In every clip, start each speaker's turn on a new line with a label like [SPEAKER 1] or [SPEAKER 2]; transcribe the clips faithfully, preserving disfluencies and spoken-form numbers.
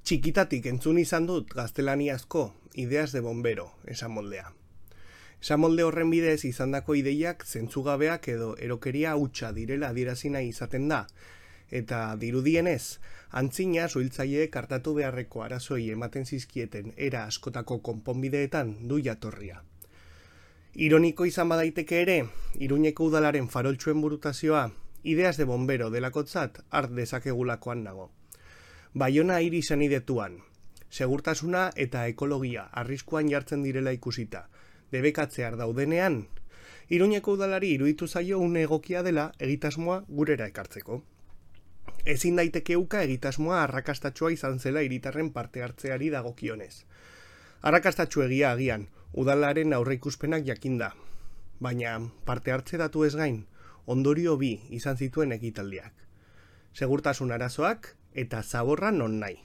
[SPEAKER 1] Txikitatik entzun izan dut gaztelaniazko ideas de bombero, esan moldea. Esan molde horren bidez izandako ideiak zentzugabeak edo erokeria hutsa direla adierazi nahi izaten da, eta dirudienez, antzina suhiltzaileek hartatu beharreko arazoi ematen zizkieten era askotako konponbideetan du jatorria. Ironiko izan badaiteke ere, Iruñeko udalaren faroltsuen burutazioa, ideas de bombero delakotzat hart dezakegulakoan nago. Baiona hiri senidetuan, segurtasuna eta ekologia arriskuan jartzen direla ikusita, debekatzear daudenean, Iruñeko udalari iruditu zaio une egokia dela egitasmoa gurera ekartzeko. Ezin daiteke uka egitasmoa arrakastatxoa izan zela hiritarren parte hartzeari dagokionez. Arrakastatxo egia agian, udalaren aurreikuspenak jakinda, baina parte hartze datu ez gain, ondorio bi izan zituen ekitaldiak. Segurtasun arazoak eta zaborra non nahi.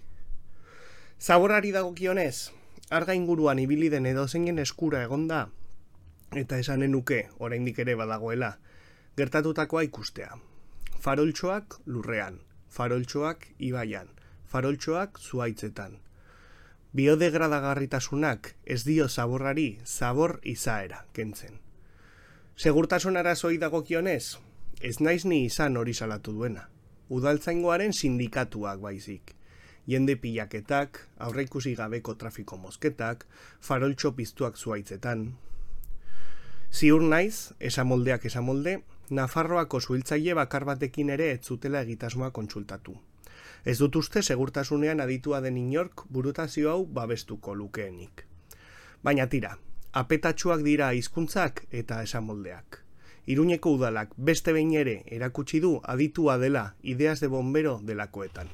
[SPEAKER 1] Zaborrari dagokionez, arga inguruan ibili den edozeinen eskura egonda, eta esanen nuke oraindik ere badagoela, gertatutakoa ikustea. Faroltxoak lurrean, faroltxoak ibaian, faroltxoak zuhaitzetan. Biodegradagarritasunak ez dio zaborrari zabor izaera kentzen. Segurtasun arazoi dagokionez, ez naiz ni izan hori salatu duena. Udaltzaingoaren sindikatuak baizik. Jende pilaketak, aurreikusi gabeko trafiko mozketak, faroltxo piztuak zuhaitzetan. Ziur naiz, esamoldeak esamolde, Nafarroako suhiltzaile bakar batekin ere ez zutela egitasmoa kontsultatu. Ez dut uste segurtasunean aditua den inork burutazio hau babestuko lukeenik. Baina tira, apetatsuak dira hizkuntzak eta esamoldeak. Iruñeko udalak beste behin ere erakutsi du aditua dela ideas de bombero delakoetan.